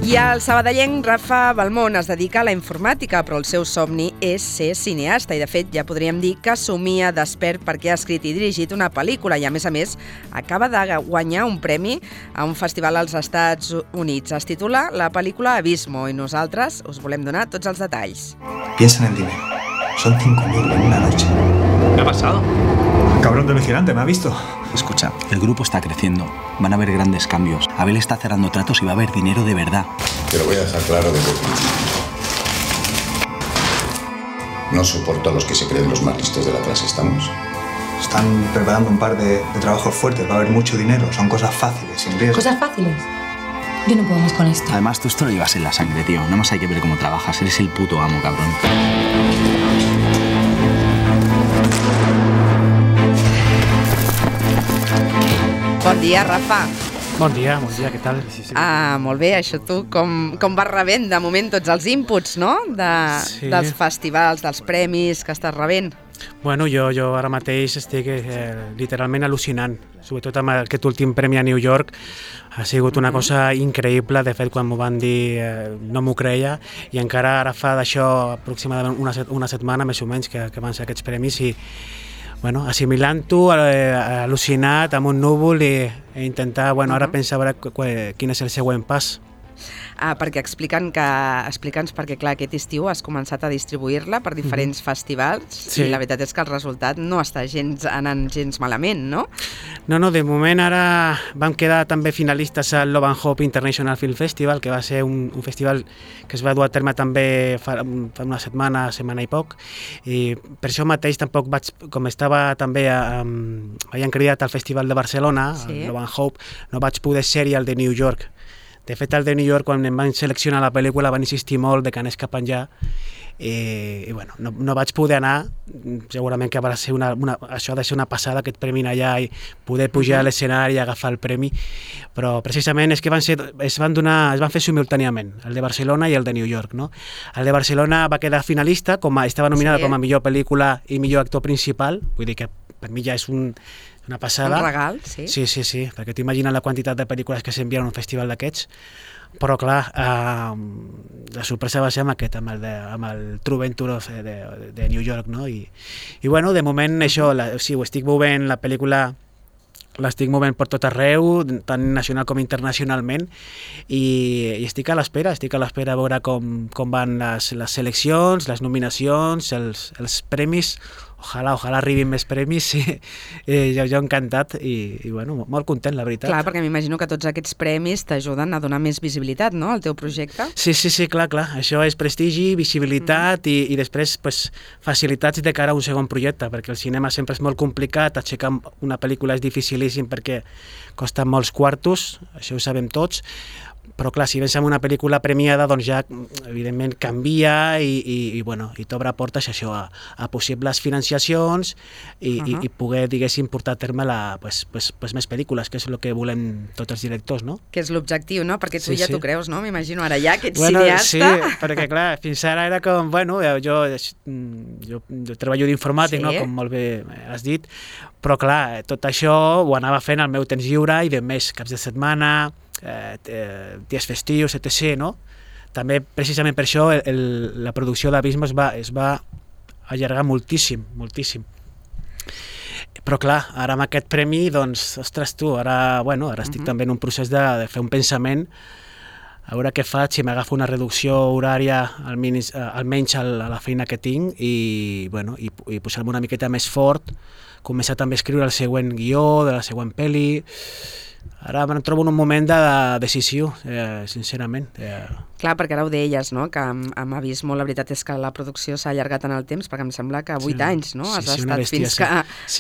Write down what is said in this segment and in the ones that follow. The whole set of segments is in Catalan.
I el sabadellenc Rafa Balmón es dedica a la informàtica, però el seu somni és ser cineasta i, de fet, ja podríem dir que somia despert perquè ha escrit i dirigit una pel·lícula i, a més, acaba de guanyar un premi a un festival als Estats Units. Es titula la pel·lícula Abismo i nosaltres us volem donar tots els detalls. Piensa en el dinero. Son 5.000 en una noche. ¿Qué ha pasado? El cabrón del vigilante me ha visto. Escucha, el grupo está creciendo. Van a haber grandes cambios. Abel está cerrando tratos y va a haber dinero de verdad. Te lo voy a dejar claro desde el principio. No soporto a los que se creen los más listos de la clase, ¿estamos? Están preparando un par de trabajos fuertes. Va a haber mucho dinero. Son cosas fáciles, sin riesgo. ¿Cosas fáciles? Yo no puedo más con esto. Además, tú esto lo llevas en la sangre, tío. Nada más hay que ver cómo trabajas. Eres el puto amo, cabrón. Bon dia, Rafa. Bon dia, què tal? Molt bé, això tu, com vas rebent de moment tots els inputs, no? Dels festivals, dels premis que estàs rebent. Bueno, jo ara mateix estic literalment al·lucinant, sobretot amb aquest últim premi a New York. Ha sigut una cosa increïble, de fet, quan m'ho van dir no m'ho creia, i encara ara fa d'això aproximadament una setmana, més o menys, que van ser aquests premis, i bueno, assimilant-ho, al·lucinat, amb un núvol, i intentar, ara pensar quin és el següent pas. Perquè explica'ns perquè, clar, aquest estiu has començat a distribuir-la per diferents festivals i la veritat és que el resultat no està anant gens malament, no? No, de moment ara vam quedar també finalistes al Love and Hope International Film Festival, que va ser un festival que es va dur a terme també fa una setmana i poc, i per això mateix tampoc vaig, com estava també havien cridat al Festival de Barcelona, al Love and Hope, no vaig poder ser-hi al de New York. De fet, al de New York, quan em van seleccionar la pel·lícula, van insistir molt de que anés cap enllà, i bueno, no vaig poder anar. Segurament que això ha de ser una passada, aquest premi allà, i poder pujar a l'escenari i agafar el premi, però precisament és que es van fer simultàniament, el de Barcelona i el de New York, no? El de Barcelona va quedar finalista, estava nominada com a millor pel·lícula i millor actor principal, vull dir que per mi ja és una passada. Un regal, sí. Sí, perquè t'imagines la quantitat de pel·lícules que s'envien a un festival d'aquests, però clar, la sorpresa va ser amb el True Venture de New York, no? I bueno, de moment això, ho estic movent, la pel·lícula l'estic movent per tot arreu, tant nacional com internacionalment, i estic a l'espera a veure com van les seleccions, les nominacions, els premis. Ojalà arribin més premis, jo encantat i bueno, molt content, la veritat. Clar, perquè m'imagino que tots aquests premis t'ajuden a donar més visibilitat, no?, al teu projecte. Sí, clar, això és prestigi, visibilitat i després facilitats de cara a un segon projecte, perquè el cinema sempre és molt complicat, aixecar una pel·lícula és dificilíssim perquè costa molts quartos, això ho sabem tots, però clar, si vens amb una pel·lícula premiada, doncs ja, evidentment, canvia i t'obre portes això a possibles financiacions i poder, diguéssim, portar a terme més pel·lícules, que és el que volem tots els directors, no? Que és l'objectiu, no? Perquè tu ja t'ho creus, no? M'imagino ara ja que ets cineasta. Sí, perquè clar, fins ara era com, jo treballo d'informàtic, no? Com molt bé has dit, però clar, tot això ho anava fent al meu temps lliure i de més caps de setmana, dies festius, etc., no? També, precisament per això, la producció d'Abismo es va allargar moltíssim. Però clar, ara amb aquest premi, doncs, ostres tu, ara estic també en un procés de fer un pensament, a veure què faig, si m'agafo una reducció horària, almenys a la feina que tinc, i posar-me una miqueta més fort, començar també a escriure el següent guió de la següent pel·li. Ara em trobo en un moment de decisió, sincerament. Clar, perquè ara ho deies, no?, que amb Abismo la veritat és que la producció s'ha allargat en el temps, perquè em sembla que 8 anys, no?, has estat fins que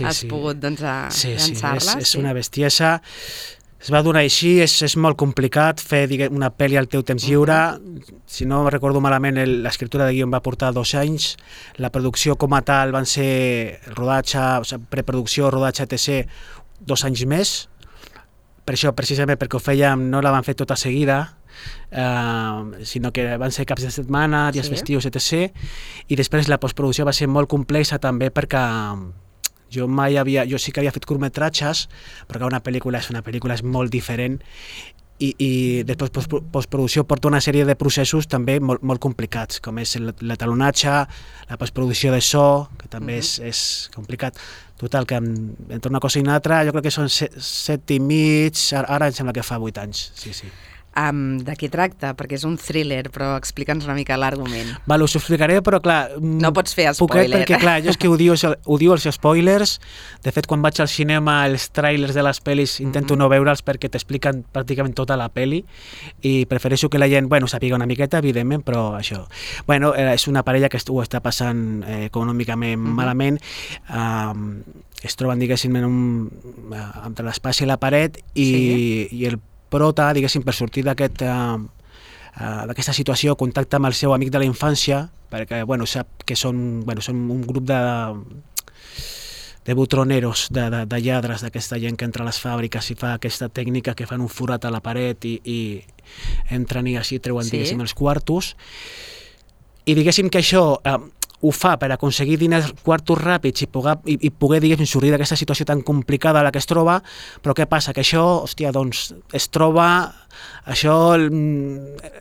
has pogut llançar-la. És una bestiesa. Es va donar així, és molt complicat fer una pel·li al teu temps lliure. Si no recordo malament, l'escriptura de guió va portar 2 anys, la producció com a tal van ser preproducció, rodatge, etc., 2 anys més. Per això, precisament perquè ho fèiem, no la van fer tota seguida, sinó que van ser caps de setmana, dies festius, etc. I després la postproducció va ser molt complexa també perquè jo sí que havia fet curtmetratges, perquè una pel·lícula és molt diferent, i després postproducció porta una sèrie de processos també molt complicats, com és l'etalonatge, la postproducció de so, que també és complicat. Total, que entre una cosa i una altra, jo crec que són 7 i mig, ara em sembla que fa 8 anys, sí. De què tracta? Perquè és un thriller, però explica'ns una mica l'argument. Val, us ho explicaré, però clar... No pots fer spoiler. Perquè clar, jo és que odio els spoilers. De fet, quan vaig al cinema, els trailers de les pel·lis intento no veure'ls perquè t'expliquen pràcticament tota la pel·li i prefereixo que la gent, sàpiga una miqueta, evidentment, però això. És una parella que ho està passant econòmicament malament, es troben, diguéssim, entre l'espai i la paret i el prota, diguéssim, per sortir d'aquesta situació, contacta amb el seu amic de la infància, perquè sap que són un grup de butroneros, de lladres, d'aquesta gent que entra a les fàbriques i fa aquesta tècnica que fan un forat a la paret i entren i així treuen, diguéssim, els quartos. I diguéssim que això ho fa per aconseguir diners, quartos ràpids i poder diguéssim, sortir d'aquesta situació tan complicada a la que es troba, però què passa? Que això, es troba,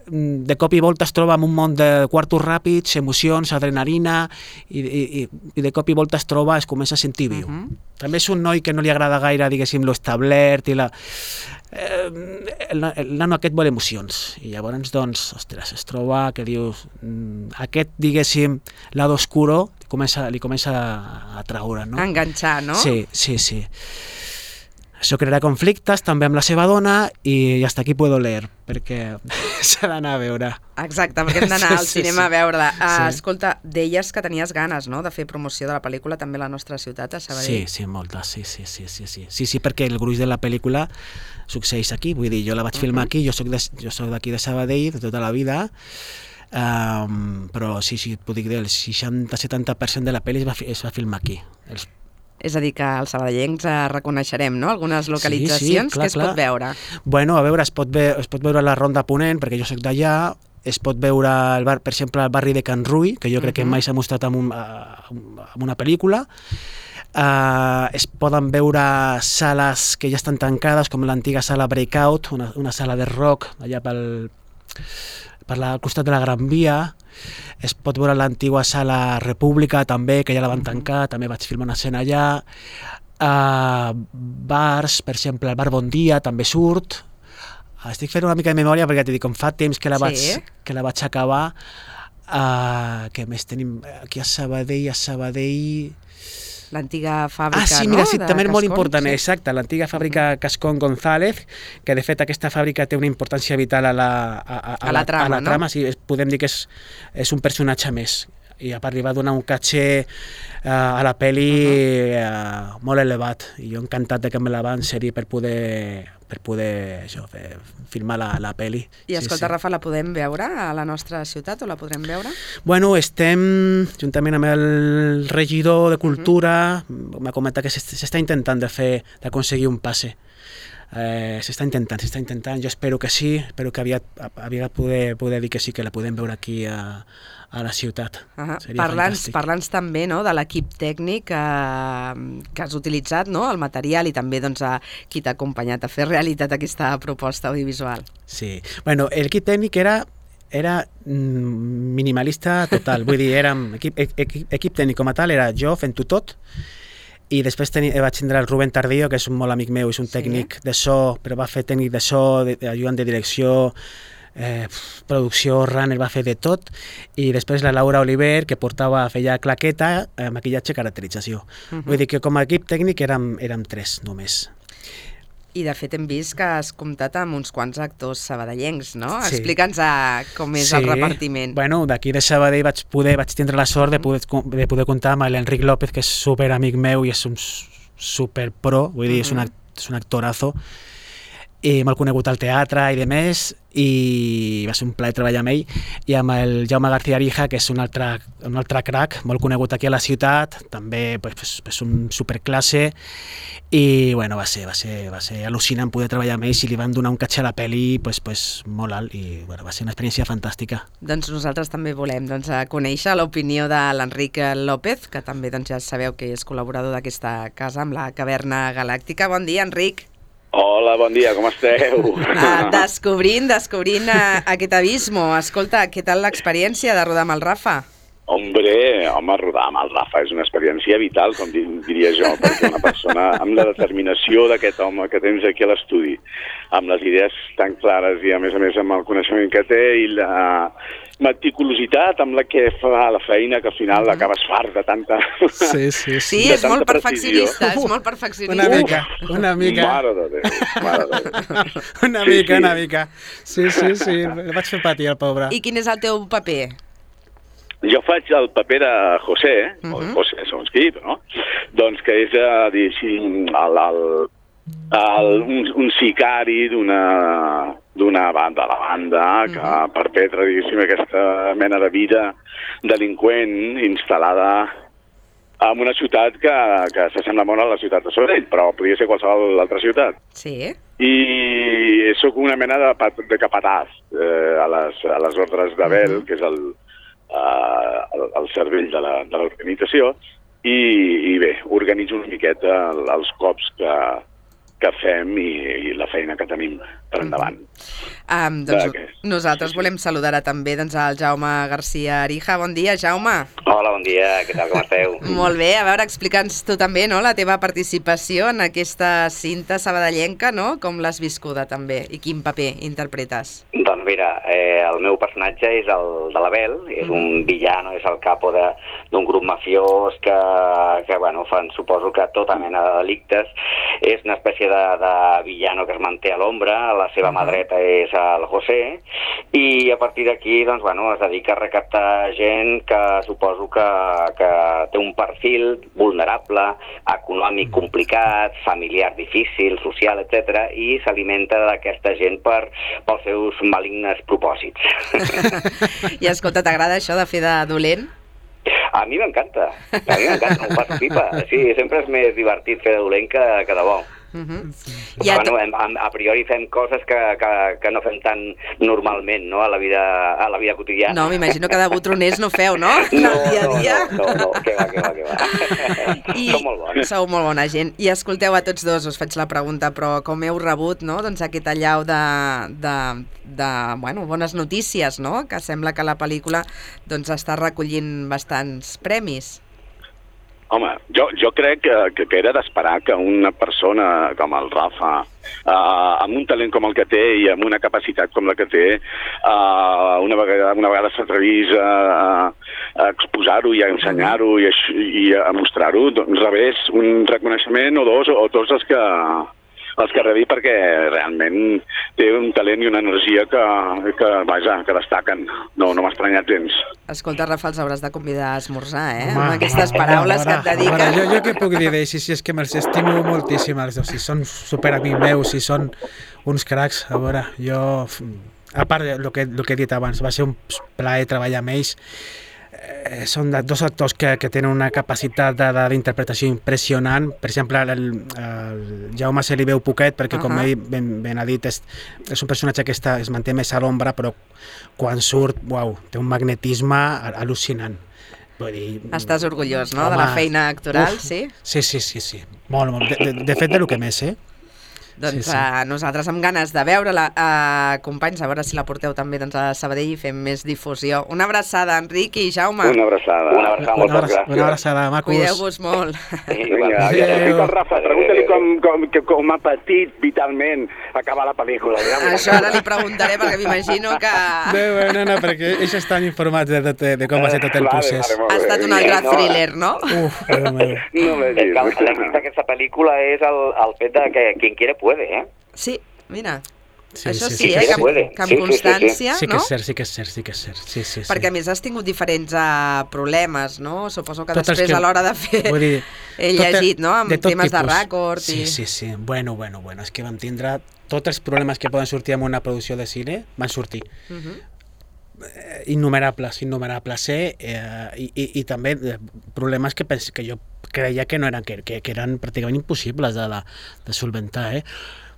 de cop i volta es troba en un món de quartos ràpids, emocions, adrenalina, i de cop i volta es comença a sentir viu. També és un noi que no li agrada gaire, diguéssim, l'establert i el nano aquest vol emocions i llavors, es troba que dius, aquest, diguéssim, lado oscuro li comença a traure, no? A enganxar, no? Sí. Això crearà conflictes també amb la seva dona i hasta aquí puedo leer, perquè s'ha d'anar a veure. Exacte, perquè hem d'anar al cinema a veure-la. Escolta, deies que tenies ganes, no?, de fer promoció de la pel·lícula també a la nostra ciutat, a Sabadell. Sí, moltes, sí, perquè el gruix de la pel·lícula succeeix aquí, vull dir, jo la vaig filmar aquí, jo soc d'aquí de Sabadell de tota la vida, però sí, et puc dir que el 60-70% de la pel·li es va filmar aquí. És a dir, que els sabadellencs reconeixerem, no?, algunes localitzacions que es pot veure. A veure, es pot veure la Ronda Ponent, perquè jo soc d'allà, es pot veure, per exemple, el barri de Can Rull, que jo crec que mai s'ha mostrat en una pel·lícula. Es poden veure sales que ja estan tancades, com l'antiga sala Breakout, una sala de rock allà al costat de la Gran Via. Es pot veure l'antiga sala República també, que ja la van tancar, també vaig filmar una escena allà. Bars, per exemple, el bar Bon Dia també surt. Estic fent una mica de memòria perquè com fa temps que la vaig acabar. Què més tenim aquí a Sabadell? L'antiga fàbrica, mira, sí, també és molt important, exacte, l'antiga fàbrica Cascón González, que de fet aquesta fàbrica té una importància vital a la trama, sí, podem dir que és un personatge més, i a part li va donar un caché a la pel·li molt elevat, i jo encantat que me la van cedir per poder filmar la pel·li. I escolta, Rafa, la podem veure a la nostra ciutat o la podrem veure? Estem, juntament amb el regidor de Cultura, m'ha comentat que s'està intentant d'aconseguir un passe. S'està intentant, jo espero que sí, espero que aviat poder dir que sí, que la podem veure aquí a la ciutat. Parla'ns també, no?, de l'equip tècnic que has utilitzat, no?, el material, i també a qui t'ha acompanyat a fer realitat aquesta proposta audiovisual. Sí, l'equip tècnic era minimalista total, vull dir, equip tècnic com a tal, era jo fent-ho tot, i després vaig tindre el Rubén Tardío, que és un molt amic meu, és un tècnic de so, però va fer tècnic de so, ajudant de direcció, producció, runner, va fer de tot, i després la Laura Oliver, que feia claqueta, maquillatge, caracterització. Vull dir que com a equip tècnic érem 3 només. I de fet hem vist que has comptat amb uns quants actors sabadellencs, no? Sí. Explica'ns com és el repartiment. D'aquí de Sabadell vaig tindre la sort de poder comptar amb l'Enric López, que és super amic meu i és un super pro, vull dir, és un actorazo, i molt conegut al teatre i de més, i va ser un plaer treballar amb ell, i amb el Jaume García Arija, que és un altre crac, molt conegut aquí a la ciutat, també és un superclasse, i va ser al·lucinant poder treballar amb ells, i li van donar un caché a la pel·li molt alt, i va ser una experiència fantàstica. Doncs nosaltres també volem conèixer l'opinió de l'Enric López, que també ja sabeu que és col·laborador d'aquesta casa amb la Caverna Galàctica. Bon dia, Enric. Hola, bon dia, com esteu? Descobrint aquest abismo. Escolta, què tal l'experiència de rodar amb el Rafa? Home, rodar amb el Rafa és una experiència vital, com diria jo, perquè una persona amb la determinació d'aquest home que tens aquí a l'estudi, amb les idees tan clares i a més amb el coneixement que té i la meticulositat amb la que fa la feina, que al final acabes fart de tanta... Sí, és molt perfeccionista, Una mica. Mare de Déu. Una mica. Sí, el vaig fer patir, el pobre. I quin és el teu paper? Jo faig el paper de José, o José segons qui, no? Doncs que és, un sicari d'una banda, la banda, que perpetra, diguéssim, aquesta mena de vida delinqüent instal·lada en una ciutat que s'assembla molt a la ciutat de Sabadell, però podria ser qualsevol altra ciutat. Sí. I sóc una mena de capatàs a les ordres d'Abel, que és el cervell de l'organització, i bé, organitzo una miqueta els cops que fem i la feina que tenim per endavant. Nosaltres volem saludar també al Jaume García Arija. Bon dia, Jaume. Hola, bon dia, què tal, com esteu? Molt bé, a veure, explica'ns tu també, no?, la teva participació en aquesta cinta sabadellenca, no?, com l'has viscuda també, i quin paper interpretes? Doncs mira, el meu personatge és el de l'Abel, és un villano, és el capo d'un grup mafiós que bueno, fan, suposo que tota mena de delictes, és una espècie de villano que es manté a l'ombra, la seva mà dreta és el José, i a partir d'aquí, doncs, bueno, es dedica a recaptar gent que suposo que té un perfil vulnerable, econòmic complicat, familiar difícil, social, etc., i s'alimenta d'aquesta gent pels seus malignes propòsits. I escolta, t'agrada això de fer de dolent? A mi m'encanta, m'ho passo pipa. Sí, sempre és més divertit fer de dolent que de bo. Bueno, a priori fem coses que no fem tan normalment, no?, a la vida quotidiana. No, m'imagino que de botroners no feu, no? No, que va. Som molt bons. Sou molt bona gent. I escolteu, a tots dos us faig la pregunta, però com heu rebut, no?, doncs aquest allau de bones notícies, no?, que sembla que la pel·lícula doncs està recollint bastants premis. Home, jo crec que era d'esperar que una persona com el Rafa, amb un talent com el que té i amb una capacitat com la que té, una vegada s'atrevís a exposar-ho i a ensenyar-ho i a mostrar-ho, doncs rebés un reconeixement o dos, o tots els que rebi, perquè realment té un talent i una energia que destaquen. No m'ha estranyat gens. Escolta, Rafa, els hauràs de convidar a esmorzar, amb aquestes paraules que et dediquen. Jo què puc dir d'ells? Si és que me'ls estimo moltíssim els dos, si són superamics meus, si són uns cracs. A veure, jo, a part del que he dit abans, va ser un plaer treballar amb ells. Són dos actors que tenen una capacitat d'interpretació impressionant. Per exemple, el Jaume se li veu poquet perquè, com ell ben ha dit, és un personatge que es manté més a l'ombra, però quan surt, té un magnetisme al·lucinant. Estàs orgullós, no?, de la feina actoral, sí? Sí. Molt. De fet, del que més, Doncs nosaltres amb ganes de veure-la. Companys, a veure si la porteu també a Sabadell i fem més difusió. Una abraçada, Enric i Jaume. Una abraçada. Moltes gràcies. Una abraçada, macos. Cuideu-vos molt. Vinga, el Rafa, pregunta-li com ha patit vitalment acabar la pel·lícula. Això ara li preguntaré, perquè m'imagino que... No, perquè ells estan informats de com va ser tot el procés. Ha estat un altre thriller, no? L'èxit d'aquesta pel·lícula és el fet de que quien quiere puede, Sí, mira. Sí, això sí, que amb constància, sí, no? Sí que és cert. Sí. Perquè a més has tingut diferents problemes, no? Suposo que després a l'hora de fer he llegit, no?, amb temes de rècord. Sí. Bueno, és que vam tindre tots els problemes que poden sortir en una producció de cine, van sortir. Innumerables, i també problemes que jo creia que no eren, que eren pràcticament impossibles de solventar,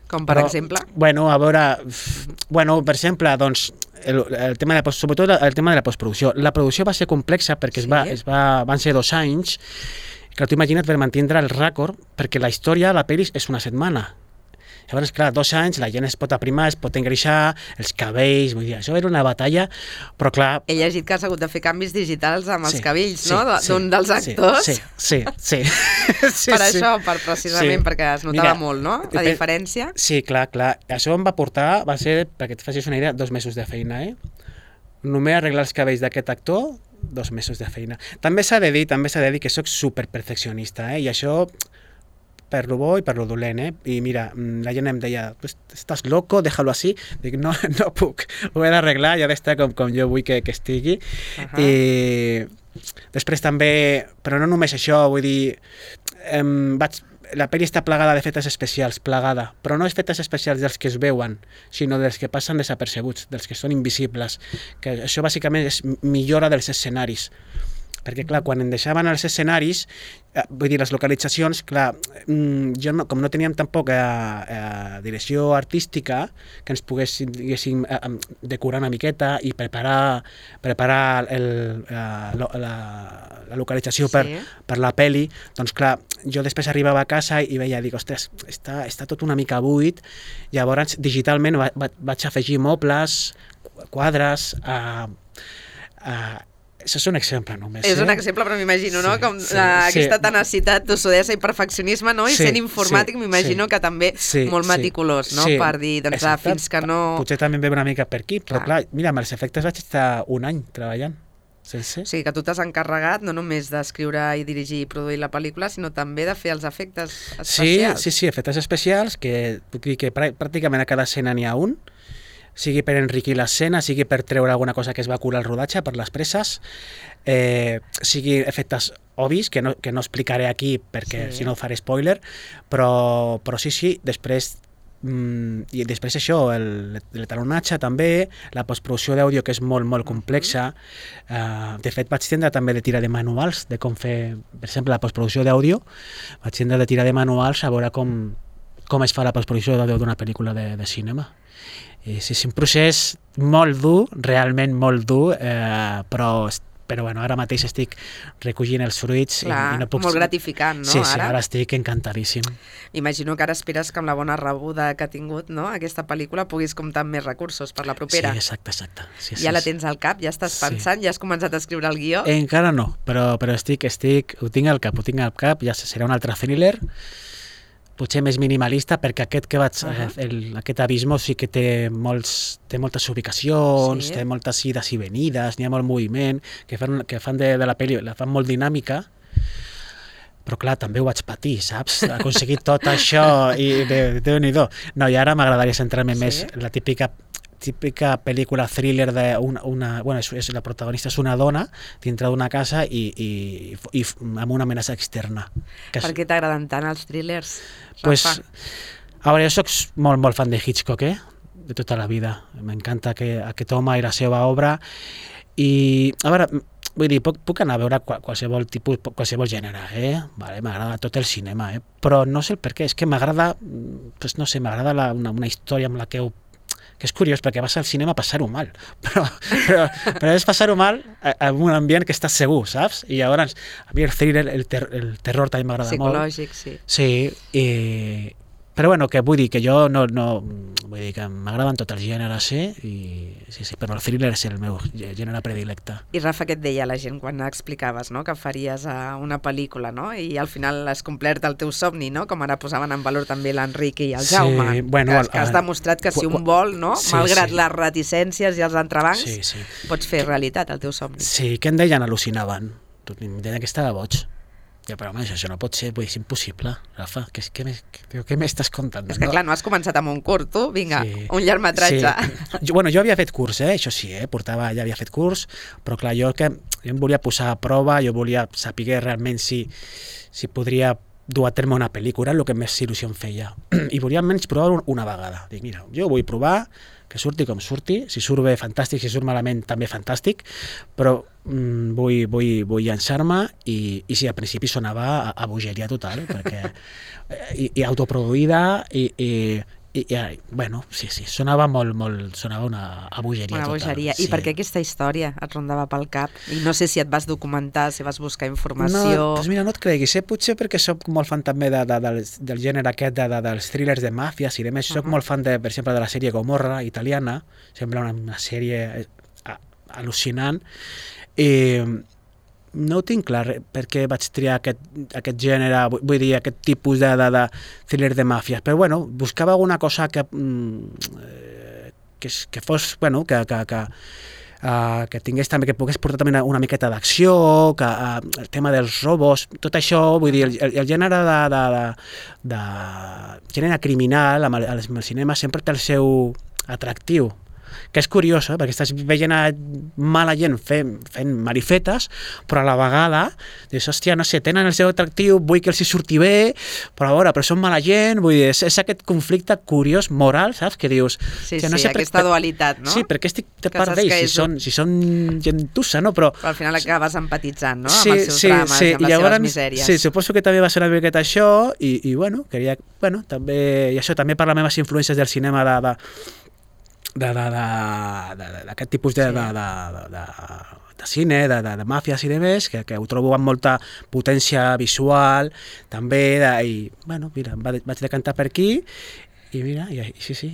Com per exemple? A veure, per exemple, doncs, el tema sobretot el tema de la postproducció. La producció va ser complexa perquè van ser 2 anys, que tu imagina't per mantindre el rècord, perquè la història de la pel·li és una setmana. Llavors, clar, 2 anys, la gent es pot aprimar, es pot engreixar, els cabells, vull dir, això era una batalla, però clar... He llegit que has hagut de fer canvis digitals amb els cabells, sí, no? D'un dels actors. Sí. Per això, precisament, perquè es notava molt, no? La diferència. Sí, clar. Això em va portar, va ser, perquè et facis una idea, 2 mesos de feina, Només arreglar els cabells d'aquest actor, 2 mesos de feina. També s'ha de dir que sóc superperfeccionista, i això per lo bo i per lo dolent, I mira, la gent em deia, estàs loco, déjalo así. Dic, no puc, ho he d'arreglar, ja ha d'estar com jo vull que estigui. I després també, però no només això, vull dir, la pel·li està plagada d'efectes especials, però no efectes especials dels que es veuen, sinó dels que passen desapercebuts, dels que són invisibles, que això bàsicament és millora dels escenaris. Perquè, clar, quan em deixaven els escenaris, vull dir, les localitzacions, clar, com no teníem tampoc direcció artística, que ens poguéssim decorar una miqueta i preparar la localització per la pel·li, doncs, clar, jo després arribava a casa i veia, dic, ostres, està tot una mica buit, llavors digitalment vaig afegir mobles, quadres, això és un exemple només. És un exemple, però m'imagino, no? Com aquesta tenacitat, tossudesa i perfeccionisme, no? I sent informàtic, m'imagino que també molt meticulós, no? Per dir, doncs, fins que no... Potser també em ve una mica per aquí, però clar, mira, amb els efectes vaig estar 1 any treballant. O sigui, que tu t'has encarregat no només d'escriure i dirigir i produir la pel·lícula, sinó també de fer els efectes especials. Sí, efectes especials, que puc dir que pràcticament a cada escena n'hi ha un, sigui per enriquir l'escena, sigui per treure alguna cosa que es va curar al rodatge, per les presses, sigui efectes obvis, que no explicaré aquí perquè si no faré spoiler, però sí, després i després això, l'etalonatge també, la postproducció d'àudio, que és molt, molt complexa. De fet, vaig tindre també de tirar de manuals de com fer, per exemple, la postproducció d'àudio, vaig tindre de tirar de manuals a veure com es fa la postproducció d'àudio d'una pel·lícula de cinema. És un procés molt dur, realment molt dur, però bueno, ara mateix estic recollint els fruits. Clar, i no puc... molt gratificant, no? Sí, ara estic encantadíssim. M'imagino que ara esperes que amb la bona rebuda que ha tingut, no, aquesta pel·lícula puguis comptar amb més recursos per la propera. Sí, exacte. Sí, ja la tens al cap, ja estàs pensant, ja has començat a escriure el guió? Encara no, però ho tinc al cap, ja serà un altre thriller, potser més minimalista, perquè aquest Abismo sí que té moltes ubicacions, té moltes ides i venides, n'hi ha molt moviment, que fan de la pel·li, la fan molt dinàmica, però clar, també ho vaig patir, saps? Aconseguir tot això i Déu-n'hi-do. No, i ara m'agradaria centrar-me més en la típica pel·lícula thriller la protagonista és una dona dintre d'una casa i amb una amenaça externa. Per què t'agraden tant els thrillers, Rafa? Pues, a veure, jo soc molt, molt fan de Hitchcock, de tota la vida. M'encanta aquest home i la seva obra. I, a veure, vull dir, puc anar a veure qualsevol tipus, qualsevol gènere, Vale, m'agrada tot el cinema, però no sé el per què, és que m'agrada, no sé, m'agrada una història amb la que és curiós, perquè vas al cinema a passar-ho mal, però és passar-ho mal en un ambient que estàs segur, saps? I llavors, a mi el thriller, el terror també m'agrada molt. Psicològic, sí. Sí, però bueno, que vull dir que jo vull dir que m'agraden tots els gèneres, però el thriller és el meu gènere predilecte. I Rafa, què et deia la gent quan explicaves, no?, que faries una pel·lícula, no?, i al final has complert el teu somni, no?, com ara posaven en valor també l'Enric i el Jaume, que has demostrat que si un vol, no?, malgrat les reticències i els entrebancs, pots fer realitat el teu somni. Sí, que em deien al·lucinaven, em deien que estava boig. Ja, però home, això no pot ser, és impossible, Rafa, què m'estàs contant? És que clar, no has començat amb un curt, tu, vinga, un llargmetratge. Sí. Jo havia fet curs, això sí, ja havia fet curs, però clar, jo em volia posar a prova, jo volia saber realment si podria dur a terme una pel·lícula, el que més il·lusió em feia, i volia almenys provar una vegada. Dic, mira, jo vull provar, que surti com surti, si surt bé, fantàstic, si surt malament, també fantàstic, però vull llançar-me i si al principi sonava a bogeria total, perquè i autoproduïda i bueno, sí, sonava molt, sonava una bogeria Una total. bogeria. Sí. I per què aquesta història et rondava pel cap? I no sé si et vas documentar, si vas buscar informació... No, doncs mira, no et creguis, potser perquè soc molt fan també del gènere aquest dels thrillers de màfies i de més, soc molt fan, per exemple, de la sèrie Gomorra, italiana, sembla una sèrie al·lucinant, i no ho tinc clar per què vaig triar aquest gènere, vull dir, aquest tipus de thriller de màfies, però bueno, buscava alguna cosa que fos, bueno, que tingués també, que pogués portar també una miqueta d'acció, el tema dels robos, tot això, vull dir, el gènere de gènere criminal amb el cinema sempre té el seu atractiu, que és curiós, perquè estàs veient mala gent fent marifetes, però a la vegada dius, hòstia, no sé, tenen el seu atractiu, vull que els hi surti bé, però a veure, però són mala gent, vull dir, és aquest conflicte curiós, moral, saps? Que dius... Sí, no sé aquesta dualitat, no? Sí, perquè estic de part d'ells, si són gentussa, no? Però al final acabes empatitzant, no? Amb els seus drames, amb les seves misèries. Sí, suposo que també va ser una miqueta això, i bueno, també, i això també per les meves influències del cinema d'aquest tipus de cine, de màfies i de més, que ho trobo amb molta potència visual, també, i bueno, mira, vaig decantar per aquí, i mira, i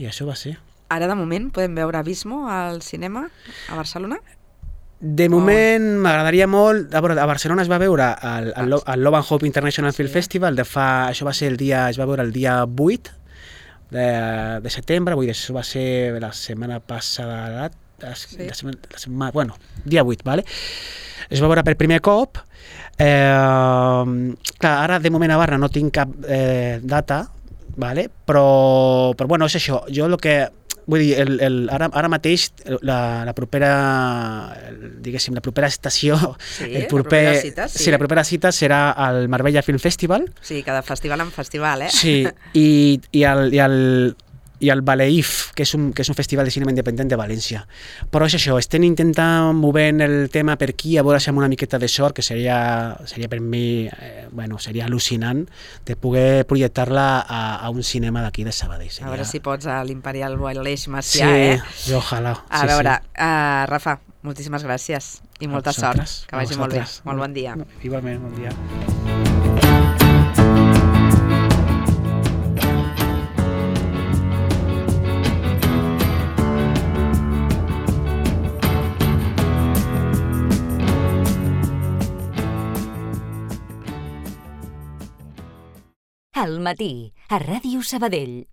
això va ser. Ara, de moment, podem veure Abismo al cinema a Barcelona? De moment m'agradaria molt, a Barcelona es va veure el Love and Hope International Film Festival, això va ser es va veure el dia 8 de setembre, vull dir, això va ser la setmana passada, bueno, dia 8, vale? Es va veure per primer cop, clar, ara de moment a Barna no tinc cap data, vale? Però bueno, és això, jo el que... Vull dir, ara mateix la propera, diguéssim, la propera estació, la propera cita serà al Marbella Film Festival. Sí, cada festival en festival, eh? Sí, i el Baleif, que és un festival de cinema independent de València. Però és això, estem intentant movent el tema per aquí, a veure si amb una miqueta de sort, que seria per mi, bueno, seria al·lucinant de poder projectar-la a un cinema d'aquí de Sabadell. A veure si pots a l'Imperial Boileix Macià, eh? Sí, ojalà. A veure, Rafa, moltíssimes gràcies i molta sort. Que vagi molt bé. Molt bon dia. Igualment, bon dia. Al matí, a Ràdio Sabadell.